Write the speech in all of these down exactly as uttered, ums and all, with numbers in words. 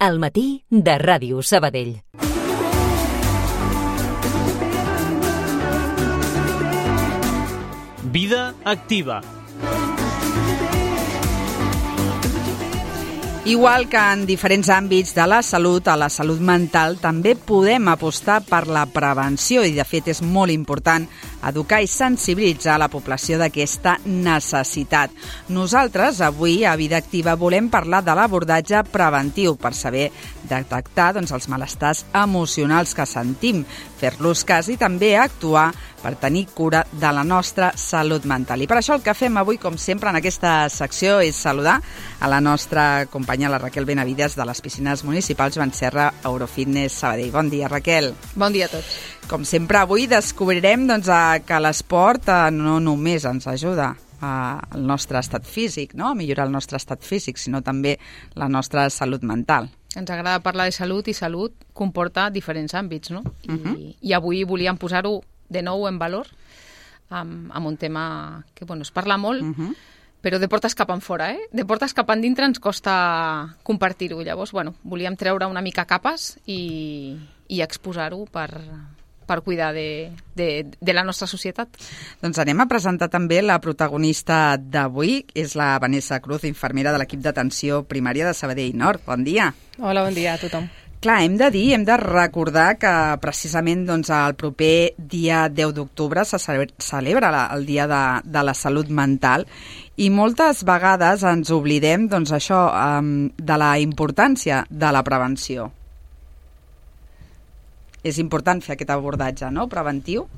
al matí de Ràdio Sabadell. Vida activa. Igual que en diferents àmbits de la salut, a la salut mental també podem apostar per la prevenció i, de fet, és molt important educar i sensibilitzar la població d'aquesta necessitat. Nosaltres, avui, a Vida Activa, volem parlar de l'abordatge preventiu per saber detectar doncs, els malestars emocionals que sentim, fer-los cas i també actuar per tenir cura de la nostra salut mental. I per això el que fem avui, com sempre, en aquesta secció és saludar a la nostra companya, la Raquel Benavides, de les piscines municipals Joan Serra Eurofitness Sabadell. Bon dia, Raquel. Bon dia a tots. Com sempre, avui descobrirem doncs, que l'esport eh, no només ens ajuda al nostre estat físic, no? A millorar el nostre estat físic, sinó també la nostra salut mental. Ens agrada parlar de salut i salut comporta diferents àmbits, no? I, Uh-huh. i avui volíem posar-ho de nou en valor amb, amb un tema que bueno, es parla molt, Uh-huh. però de portes cap enfora, eh? De portes cap endintre ens costa compartir-ho. Llavors, bueno, volíem treure una mica capes i, i exposar-ho per, per cuidar de, de, de la nostra societat. Doncs anem a presentar també la protagonista d'avui, és la Vanessa Cruz, infermera de l'equip d'atenció primària de Sabadell Nord. Bon dia. Hola, bon dia a tothom. Clar, hem de dir, hem de recordar que precisament doncs, el proper dia deu d'octubre se celebra la, el Dia de, de la Salut Mental i moltes vegades ens oblidem doncs, això, um, de la importància de la prevenció. És important fer aquest abordatge, no?, preventiu.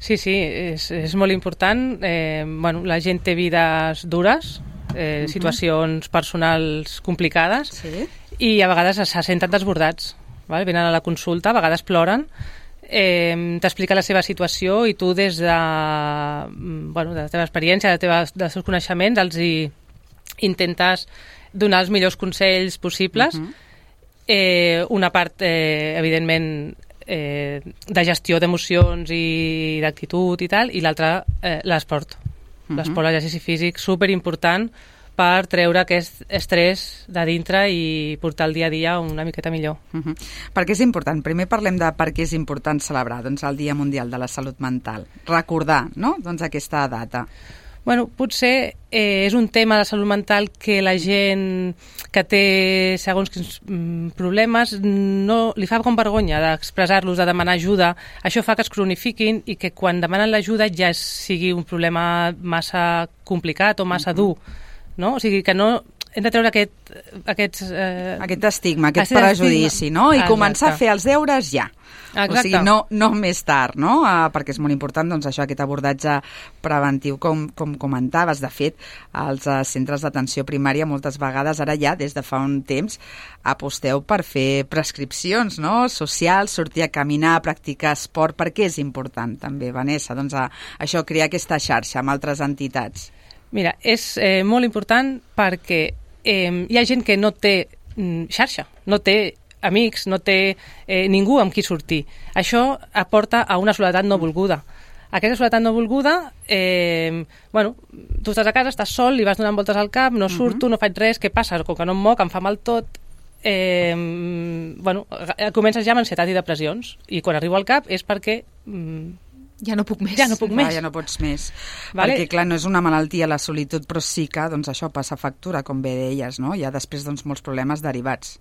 Sí, sí, és, és molt important. Eh, bueno, la gent té vides dures, eh, uh-huh. situacions personals complicades, Sí. i a vegades se senten desbordats. Val? Venen a la consulta, a vegades ploren, eh, t'explica la seva situació i tu des de, bueno, de la teva experiència, de teva, dels teus coneixements, els hi intentes donar els millors consells possibles. Uh-huh. eh, una part, eh, evidentment, eh, de gestió d'emocions i d'actitud i tal, i l'altra, eh, l'esport. Uh-huh. L'esport, l'exercici físic, superimportant per treure aquest estrès de dintre i portar el dia a dia una miqueta millor. Uh-huh. Per què és important? Primer parlem de per què és important celebrar doncs, el Dia Mundial de la Salut Mental. Recordar, no?, doncs, aquesta data. Bueno, potser eh, és un tema de salut mental que la gent que té segons quins mm, problemes no li fa com vergonya d'expressar-los, de demanar ajuda. Això fa que es cronifiquin i que quan demanen l'ajuda ja sigui un problema massa complicat o massa uh-huh. dur. No? O sigui, que no hem de treure aquest... Aquests, eh... aquest estigma, aquest Aquest prejudici, estigma. no? I Exacte. començar a fer els deures ja. Exacte. O sigui, no, no més tard, no? Uh, perquè és molt important, doncs, això, aquest abordatge preventiu, com, com comentaves. De fet, als uh, centres d'atenció primària, moltes vegades, ara ja, des de fa un temps, aposteu per fer prescripcions, no?, socials, sortir a caminar, practicar esport. Per què és important, també, Vanessa? Doncs, uh, això, crear aquesta xarxa amb altres entitats. Mira, és eh, molt important perquè eh, hi ha gent que no té mm, xarxa, no té amics, no té eh, ningú amb qui sortir. Això aporta a una soledat no volguda. Aquesta soledat no volguda, eh, bueno, tu estàs a casa, estàs sol, li vas donant voltes al cap, no surto, uh-huh. no faig res, què passa? Com que no em moc, em fa mal tot, eh, bueno, comences ja amb ansietat i depressions, i quan arribo al cap és perquè... Mm, Ja no puc més. Ja no puc Va, més. ja no pots més. Vale. Perquè, clar, no és una malaltia la solitud, però sí que doncs, això passa factura, com bé deies, no? Hi ha després doncs, molts problemes derivats.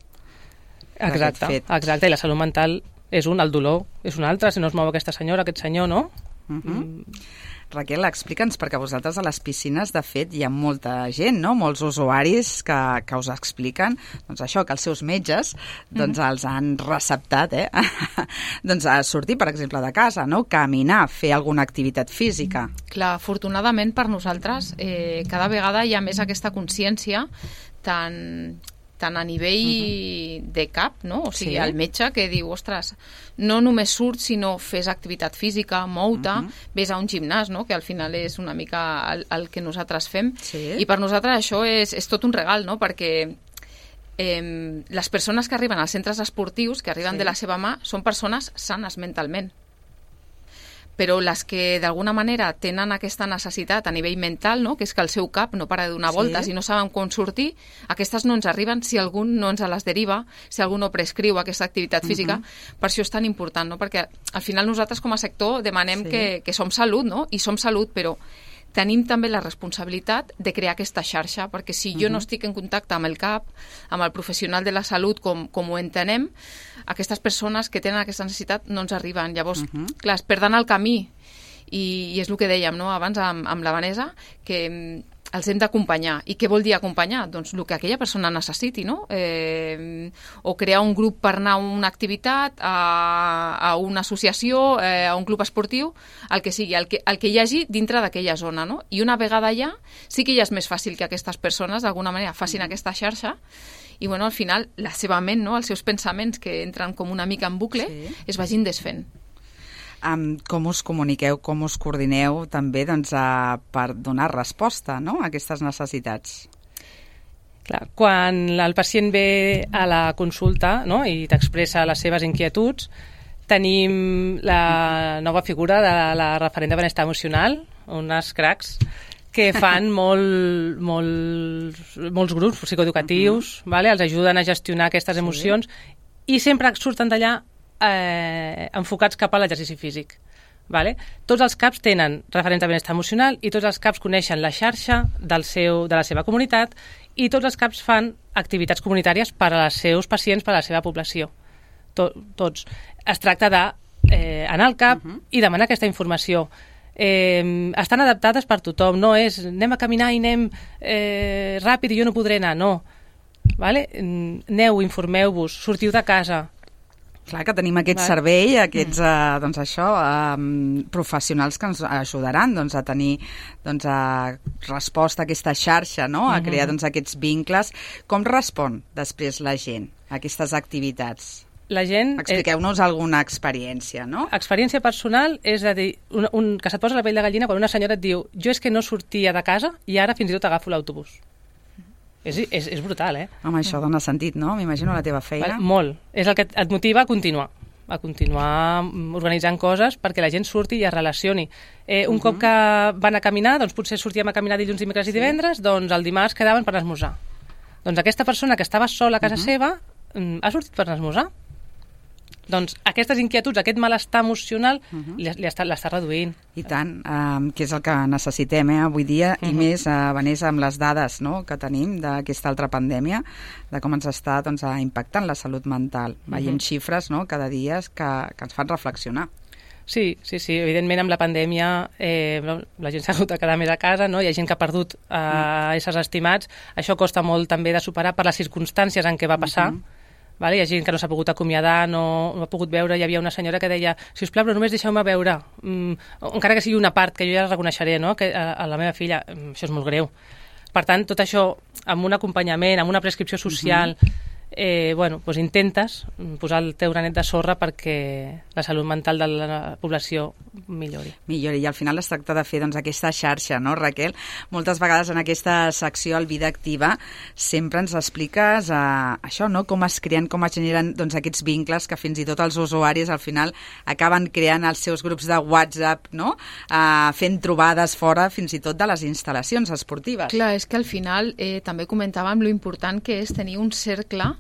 Exacte, exacte, i la salut mental és un, el dolor és un altre, si no es mou aquesta senyora, aquest senyor, no? Uh-huh. Mm. Raquel, explica'ns, perquè vosaltres a les piscines, de fet, hi ha molta gent, no?, molts usuaris que, que us expliquen doncs això, que els seus metges doncs, mm-hmm. els han receptat, eh? doncs a sortir, per exemple, de casa, no?, caminar, fer alguna activitat física. Clar, afortunadament per nosaltres eh, cada vegada hi ha més aquesta consciència tan... tant a nivell uh-huh. de cap, no? O sigui, sí. el metge que diu, ostres, no només surt, sinó fes activitat física, mou-te, uh-huh. ves a un gimnàs, no? Que al final és una mica el, el que nosaltres fem. Sí. I per nosaltres això és, és tot un regal, no? Perquè eh, les persones que arriben als centres esportius, que arriben sí. de la seva mà, són persones sanes mentalment. però les que d'alguna manera tenen aquesta necessitat a nivell mental, no? Que és que el seu cap no para de donar Sí. voltes i no saben com sortir, aquestes no ens arriben si algú no ens les deriva, si algú no prescriu aquesta activitat física. Uh-huh. Per això és tan important, no? Perquè al final nosaltres com a sector demanem Sí. que, que som salut, no? I som salut, però tenim també la responsabilitat de crear aquesta xarxa, perquè si jo uh-huh. no estic en contacte amb el cap, amb el professional de la salut, com, com ho entenem, aquestes persones que tenen aquesta necessitat no ens arriben. Llavors, uh-huh. clar, es perden el camí, i, i és el que dèiem, no?, abans amb, amb la Vanessa, que els hem d'acompanyar. I què vol dir acompanyar? Doncs el que aquella persona necessiti, no? Eh, o crear un grup per anar a una activitat, a, a una associació, eh, a un club esportiu, el que sigui, el que, el que hi hagi dintre d'aquella zona, no? I una vegada allà, sí que ja és més fàcil que aquestes persones, d'alguna manera, facin aquesta xarxa, i, bueno, al final, la seva ment, no?, els seus pensaments, que entren com una mica en bucle, sí. es vagin desfent. Um, com us comuniqueu, com us coordineu també doncs, a, per donar resposta, no?, a aquestes necessitats? Clar, quan el pacient ve a la consulta, no?, i t'expressa les seves inquietuds, tenim la nova figura de la referent de benestar emocional, unes cracs, que fan molt, molt, molts grups psicoeducatius, uh-huh. vale? Els ajuden a gestionar aquestes sí. emocions, i sempre surten d'allà eh, enfocats cap a l'exercici físic. Vale? Tots els CAPs tenen referents de benestar emocional i tots els CAPs coneixen la xarxa del seu, de la seva comunitat, i tots els CAPs fan activitats comunitàries per als seus pacients, per a la seva població. Tot, tots. Es tracta d'anar eh, al CAP uh-huh. i demanar aquesta informació. Eh, estan adaptades per tothom, no és anem a caminar i anem eh, ràpid i jo no podré anar, no. Vale? Aneu, informeu-vos, sortiu de casa. Clar que tenim aquest vale. servei, aquests mm. eh, doncs això, eh, professionals que ens ajudaran doncs, a tenir doncs, a resposta a aquesta xarxa, no? a crear doncs, aquests vincles. Com respon després la gent a aquestes activitats? La gent... Expliqueu-nos eh, alguna experiència, no? Experiència personal és a dir, un, un, que se't posa la pell de gallina quan una senyora et diu jo és que no sortia de casa i ara fins i tot agafo l'autobús. És, és, és brutal, eh? Home, això dona sentit, no? M'imagino la teva feina. Vale, molt. És el que et motiva a continuar a continuar organitzant coses perquè la gent surti i es relacioni. Eh, un uh-huh. cop que van a caminar, doncs potser sortíem a caminar dilluns, dimecres i divendres, sí. doncs el dimarts quedaven per esmorzar. Doncs aquesta persona que estava sola a casa uh-huh. seva ha sortit per esmorzar. Doncs aquestes inquietuds, aquest malestar emocional uh-huh. li, li està, l'està reduint. I tant, um, que és el que necessitem eh, avui dia, uh-huh. i més, uh, Vanessa, amb les dades no, que tenim d'aquesta altra pandèmia, de com ens està doncs, impactant la salut mental. Uh-huh. Veiem xifres no, cada dia que, que ens fan reflexionar. Sí, sí, sí, evidentment amb la pandèmia eh, la gent s'ha hagut de quedar més a casa, no? Hi ha gent que ha perdut eh, uh-huh. éssers estimats, això costa molt també de superar per les circumstàncies en què va passar. Uh-huh. Vale? Hi ha gent que no s'ha pogut acomiadar, no, no ha pogut veure. Hi havia una senyora que deia, si us plau, però només deixeu-me veure, mm, encara que sigui una part, que jo ja la reconeixeré, no? que a, a la meva filla, això és molt greu. Per tant, tot això, amb un acompanyament, amb una prescripció social, uh-huh. eh, bueno, doncs intentes posar el teu granet de sorra perquè la salut mental de la població millori. Millori, i al final es tracta de fer doncs, aquesta xarxa, no, Raquel? Moltes vegades en aquesta secció, al Vida Activa, sempre ens expliques eh, això, no? Com es creen, com es generen doncs, aquests vincles que fins i tot els usuaris al final acaben creant els seus grups de WhatsApp, no? Eh, fent trobades fora fins i tot de les instal·lacions esportives. Clar, és que al final eh, també comentàvem lo important que és tenir un cercle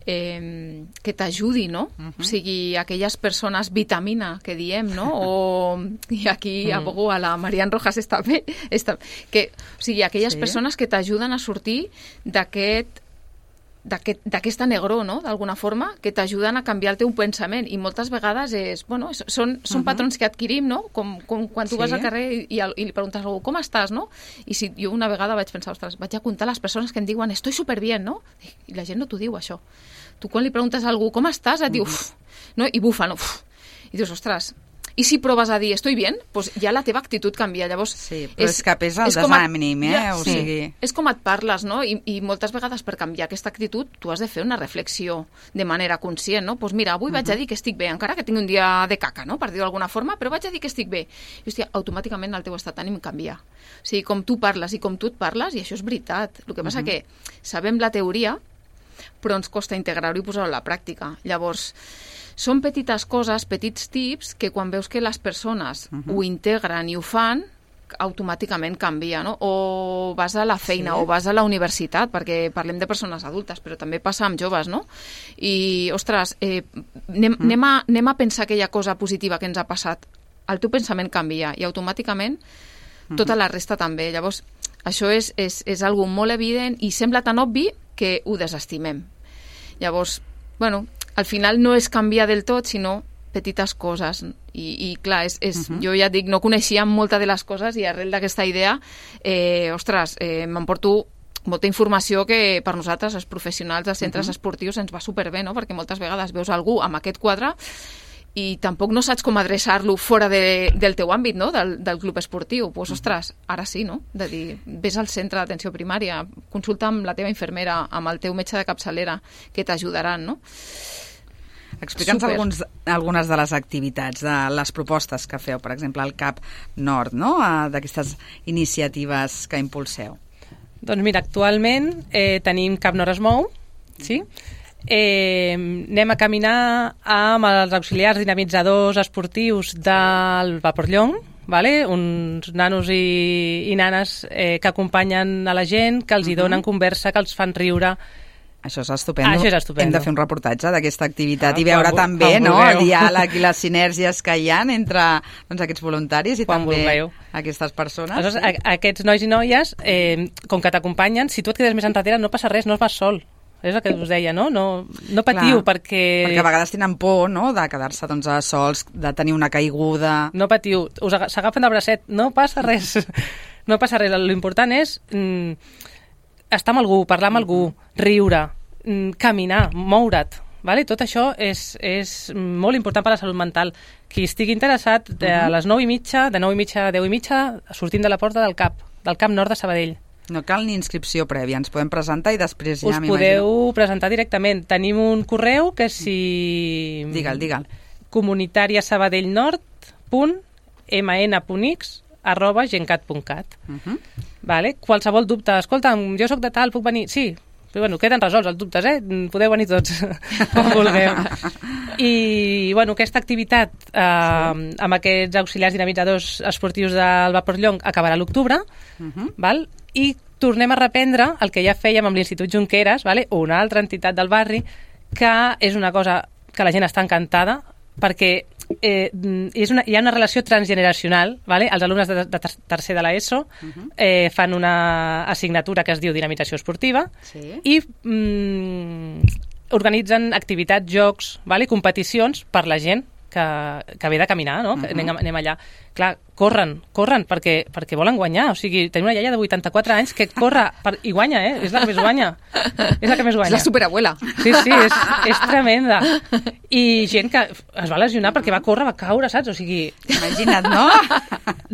Eh, que t'ajudi, no? Uh-huh. O sigui, aquelles persones vitamina que diem, no? O, i aquí uh-huh. abogo a la Marian Rojas està bé, està, que, o sigui, aquelles sí. persones que t'ajuden a sortir d'aquest d'aquest, d'aquesta negró, no?, d'alguna forma, que t'ajuden a canviar el teu pensament, i moltes vegades és, bueno, és, són, són uh-huh. patrons que adquirim, no?, com, com quan tu sí. vas al carrer i, i, i li preguntes a algú, com estàs, no?, i si jo una vegada vaig pensar, ostres, vaig a comptar les persones que em diuen, estoy superbien, no?, i la gent no t'ho diu, això. Tu quan li preguntes a algú, com estàs, et diu, uf, no?, i bufa, no?, uf, i dius, ostres, i si proves a dir, estoy bien, pues ja la teva actitud canvia. Llavors, sí, però és, és que pesa el desànim, eh? Ja, o sí, sigui... és com et parles, no? I, I moltes vegades per canviar aquesta actitud tu has de fer una reflexió de manera conscient, no? Pues mira, avui uh-huh. vaig a dir que estic bé, encara que tingui un dia de caca, no? Per dir-ho d'alguna forma, però vaig a dir que estic bé. I, hòstia, automàticament el teu estat d'ànim canvia. O sigui, com tu parles i com tu et parles, i això és veritat. El que passa uh-huh. que sabem la teoria, però ens costa integrar-ho i posar-ho a la pràctica. Llavors, són petites coses, petits tips, que quan veus que les persones uh-huh. ho integren i ho fan, automàticament canvia, no? O vas a la feina, sí. o vas a la universitat, perquè parlem de persones adultes, però també passa amb joves, no? I, ostres, eh, anem, mm. anem, a, anem a pensar aquella cosa positiva que ens ha passat. El teu pensament canvia i automàticament mm-hmm. tota la resta també. Llavors, això és, és, és algo molt evident i sembla tan obvi que ho desestimem. Llavors, bueno, al final no és canviar del tot, sinó petites coses. I, i clar, és, és, uh-huh. jo ja et dic, no coneixia molta de les coses i arrel d'aquesta idea, eh, ostres, eh, m'emporto molta informació que per nosaltres, els professionals dels centres uh-huh. esportius, ens va superbé, no? Perquè moltes vegades veus algú amb aquest quadre i tampoc no saps com adreçar-lo fora de, del teu àmbit, no? Del, del club esportiu. Doncs, pues, ostres, ara sí, no? De dir, vés al centre d'atenció primària, consulta amb la teva infermera, amb el teu metge de capçalera, que t'ajudaran, no? Explica'ns alguns, algunes de les activitats, de les propostes que feu, per exemple, al CAP Nord, no? D'aquestes iniciatives que impulseu. Doncs mira, actualment eh, tenim CAP Nord es mou, sí? Eh, anem a caminar amb els auxiliars dinamitzadors esportius del Vaporllong, vale? Uns nanos i, i nanes eh, que acompanyen a la gent, que els hi donen uh-huh. conversa, que els fan riure. Això és estupendo. Això és estupendo. Hem de fer un reportatge d'aquesta activitat ah, i veure quan, també quan no, el diàleg i les sinergies que hi ha entre doncs, aquests voluntaris i quan també vulgueu. Aquestes persones. Aleshores, sí? a, aquests nois i noies, eh, com que t'acompanyen, si tu et quedes més enrere no passa res, no vas sol. És el que us deia, no? No, no patiu, clar, perquè... Perquè a vegades tenen por, no?, de quedar-se doncs, sols, de tenir una caiguda... No patiu, us s'agafen del bracet, no passa res. No passa res. L'important és mm, estar amb algú, parlar amb algú, riure, mm, caminar, moure't. Vale? Tot això és, és molt important per a la salut mental. Qui estigui interessat, de uh-huh. les nou i mitja, de nou i mitja a deu i mitja, sortim de la porta del CAP, del CAP Nord de Sabadell. No cal ni inscripció prèvia, ens podem presentar i després ja us m'imagino. Us podeu presentar directament. Tenim un correu que si... Digue'l, digue'l. comunitariasabadellnord punt m n punt x arroba gencat punt cat. Uh-huh. Vale? Qualsevol dubte. Escolta'm, jo sóc de tal, puc venir? Sí. Però, bueno, queden resolts els dubtes, eh? Podeu venir tots, com vulgueu. I, bueno, aquesta activitat eh, sí. amb aquests auxiliars dinamitzadors esportius del Vaporllong acabarà a l'octubre, uh-huh. val? I tornem a reprendre el que ja fèiem amb l'Institut Junqueras, vale? Una altra entitat del barri, que és una cosa que la gent està encantada, perquè eh, és una, hi ha una relació transgeneracional, vale? Els alumnes de, de tercer de l'ESO uh-huh. eh, fan una assignatura que es diu Dinamització Esportiva sí. i mm, organitzen activitats, jocs, vale? Competicions per la gent que, que ve de caminar, no? Uh-huh. anem, anem allà. Clar, corren, corren perquè, perquè volen guanyar. O sigui, tenim una iaia de vuitanta-quatre anys que corre per, i guanya, eh? És la que més guanya. És la que més guanya. És la superabuela. Sí, sí, és, és tremenda. I gent que es va lesionar perquè va córrer, va caure, saps? O sigui... Imagina't, no?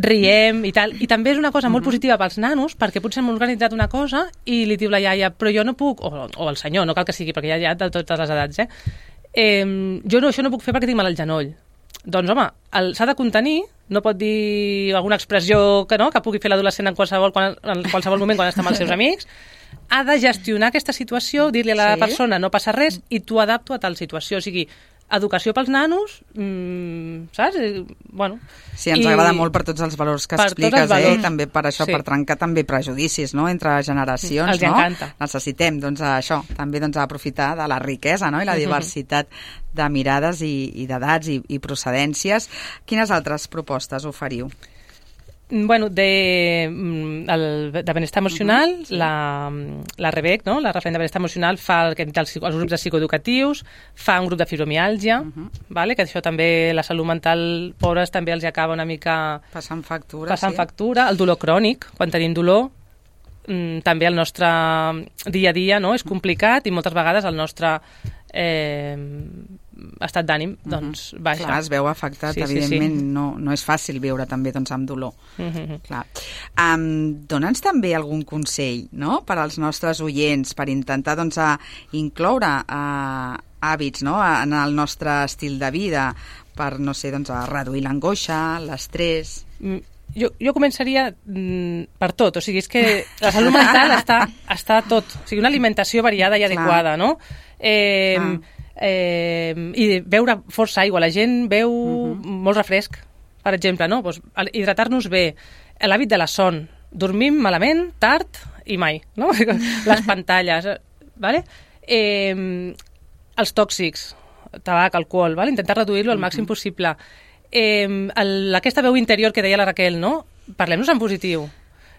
Riem i tal. I també és una cosa molt positiva pels nanos, perquè potser hem organitzat una cosa i li diu la iaia, però jo no puc, o, o el senyor, no cal que sigui, perquè hi ha ja de totes les edats, eh? eh jo no, això no puc fer perquè tinc mal al genoll. Doncs, home, s'ha de contenir, no pot dir alguna expressió que no, que pugui fer l'adolescent en qualsevol, quan, en qualsevol moment quan està amb els seus amics. Ha de gestionar aquesta situació, dir-li a la sí. persona no passa res i tu adapto a tal situació. O sigui, educació pels nanos, mmm, saps? Bueno, sí, ens I... agrada molt per tots els valors que expliques, eh? I també per això, sí. per trencar també prejudicis, no?, entre generacions, els no? encanta. Necessitem, doncs, això, també doncs, aprofitar de la riquesa, no?, i la diversitat de mirades i, i d'edats i, i procedències. Quines altres propostes oferiu? Bueno, de, el, de benestar emocional, uh-huh, sí. la, la REBEC, no? La referent de benestar emocional, fa el, els, els grups de psicoeducatius, fa un grup de fibromiàlgia, uh-huh. vale? Que això també, la salut mental, pobres, també els acaba una mica... Passant factura, passant sí. factura. El dolor crònic, quan tenim dolor, mm, també el nostre dia a dia, no?, és complicat i moltes vegades el nostre... Eh, estat d'ànim doncs uh-huh. baixa. Clar, es veu afectat, sí, evidentment, sí, sí. No, no és fàcil viure també doncs, amb dolor. Uh-huh. Clar. Um, Dóna'ns també algun consell, no?, per als nostres oients, per intentar doncs, a incloure uh, hàbits, no?, en el nostre estil de vida, per, no sé, doncs, a reduir l'angoixa, l'estrès... Mm. jo, jo començaria mm, per tot, o sigui, és que la salut mental està, està tot, o sigui, una alimentació variada i adequada, no? Eh, eh, I beure força aigua, la gent beu uh-huh. molt refresc, per exemple, no? Pues, hidratar-nos bé, l'hàbit de la son, dormim malament, tard i mai, no? Les pantalles, vale? Eh, els tòxics, tabac, alcohol, ¿vale? Intentar reduir-lo al màxim possible. Eh, el, aquesta veu interior que deia la Raquel, no? Parlem-nos en positiu.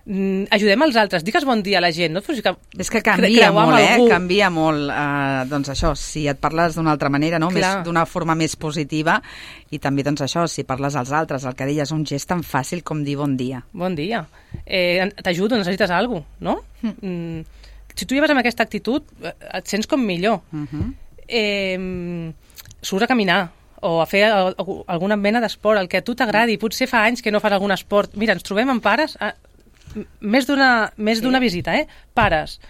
Mm, ajudem els altres, digues bon dia a la gent. No? Que és que canvia molt, eh? Canvia molt. Uh, doncs això, si et parles d'una altra manera, no? Més, d'una forma més positiva, i també doncs això, si parles als altres, el que deies, un gest tan fàcil com dir bon dia. Bon dia. Eh, T'ajudo, necessites alguna cosa, no? Mm. Mm, si tu lleves amb aquesta actitud, et sents com millor. Uh-huh. Eh, surts a caminar o a fer alguna mena d'esport, el que a tu t'agradi. Potser fa anys que no fas algun esport. Mira, ens trobem amb pares, a, més d'una més d'una sí. visita, eh? Pares,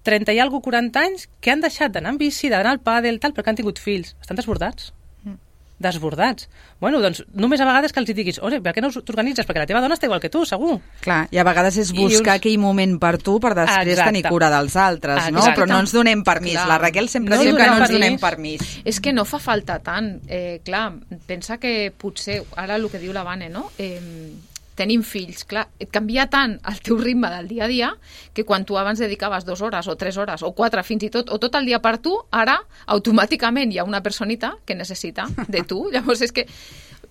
trenta i alguna quaranta anys, que han deixat d'anar en bici, d'anar al pàdel, tal, perquè han tingut fills. Estan desbordats. Mm. Desbordats. Bueno, doncs només a vegades que els diguis, oi, per què no t'organitzes? Perquè la teva dona està igual que tu, segur. Clar, i a vegades és buscar aquell moment per tu per després Exacte. tenir cura dels altres, no? Exacte. Però no ens donem permís. Clar. La Raquel sempre no diu que no ens donem permís. És que no fa falta tant. Eh, clar, pensa que potser, ara el que diu la Vane, no? Eh, tenim fills, clar, et canvia tant el teu ritme del dia a dia que quan tu abans dedicaves dues hores o tres hores o quatre fins i tot, o tot el dia per tu, ara automàticament hi ha una personita que necessita de tu, llavors és que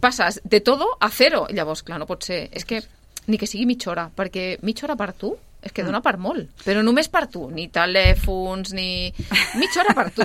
passes de todo a cero, llavors clar, no pot ser, és que ni que sigui mitja hora, perquè mitja hora per tu és que dona per molt, però només per tu, ni telèfons, ni... mitja hora per tu.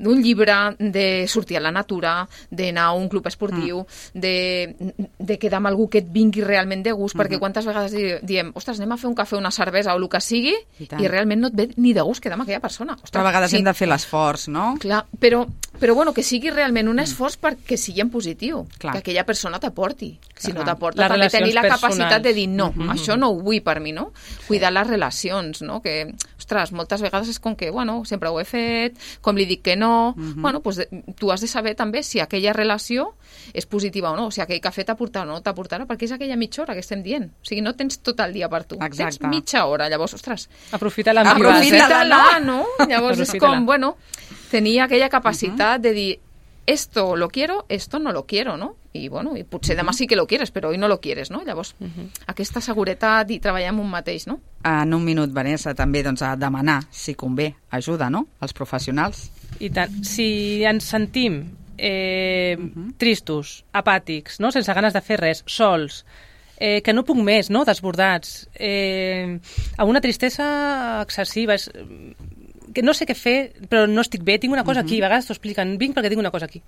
Un llibre, de sortir a la natura, d'anar a un club esportiu, mm. de, de quedar amb algú que et vingui realment de gust, mm-hmm. perquè quantes vegades diem, ostres, anem a fer un cafè, una cervesa o el que sigui, i, i realment no et ve ni de gust quedar amb aquella persona. Ostres, però a vegades sí. hem de fer l'esforç, no? Clar, però, però bueno, que sigui realment un esforç mm. perquè sigui en positiu, Clar. que aquella persona t'aporti. Si no t'aporta, també tenir la capacitat de dir no, mm-hmm. això no ho vull per mi, no? Cuidar les relacions, no? Que, ostres, moltes vegades és com que, bueno, sempre ho he fet, com li dic que no, uh-huh. bueno, doncs tu has de saber també si aquella relació és positiva o no, o si aquell cafè t'aportarà o no t'aportarà, perquè és aquella mitja hora que estem dient. O sigui, no tens tot el dia per tu, Exacte. tens mitja hora, llavors, ostres... Aprofita-la, aprofita-la, no? Llavors és com, bueno, tenir aquella capacitat uh-huh. de dir esto lo quiero, esto no lo quiero, no? I, bueno, i potser demà sí que lo quieres, però hoy no lo quieres, no? Llavors, uh-huh. aquesta seguretat i treballar amb un mateix, no? En un minut, Vanessa, també doncs, a demanar, si convé, ajuda, no?, als professionals. I tant. Si ens sentim eh, uh-huh. tristos, apàtics, no?, sense ganes de fer res, sols, eh, que no puc més, no?, desbordats, eh, amb una tristesa excessiva, és... que no sé què fer, però no estic bé, tinc una cosa uh-huh. aquí, a vegades t'ho expliquen, vinc perquè tinc una cosa aquí.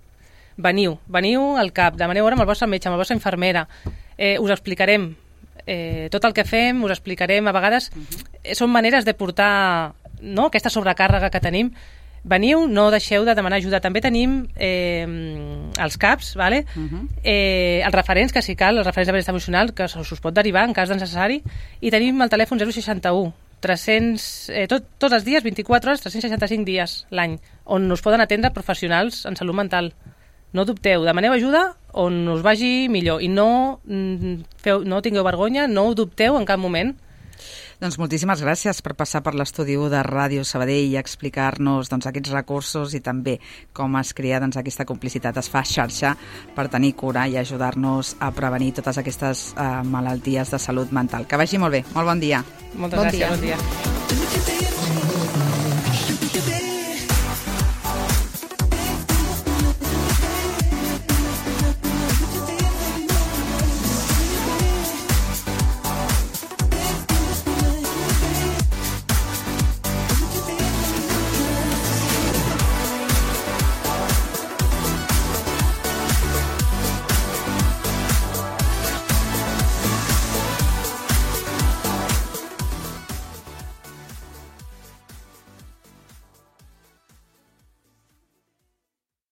Veniu, veniu al CAP, demaneu hora amb el vostre metge, amb la vostra infermera, eh, us explicarem eh, tot el que fem, us explicarem, a vegades uh-huh. eh, són maneres de portar, no?, aquesta sobrecàrrega que tenim. Veniu, no deixeu de demanar ajuda. També tenim eh, els CAPs, vale? uh-huh. eh, els referents, que si cal, els referents de benestar emocional, que us pot derivar en cas de necessari, i tenim el telèfon zero seixanta u, tres-cents, eh, tot, tots els dies, vint-i-quatre hores, tres-cents seixanta-cinc dies l'any, on us poden atendre professionals en salut mental. No dubteu, demaneu ajuda on us vagi millor i no, feu, no tingueu vergonya, no ho dubteu en cap moment. Doncs moltíssimes gràcies per passar per l'estudi de Ràdio Sabadell i explicar-nos doncs, aquests recursos i també com es crea doncs, aquesta complicitat, es fa xarxa per tenir cura i ajudar-nos a prevenir totes aquestes uh, malalties de salut mental. Que vagi molt bé. Molt bon dia. Moltes bon gràcies. Dia. Bon dia.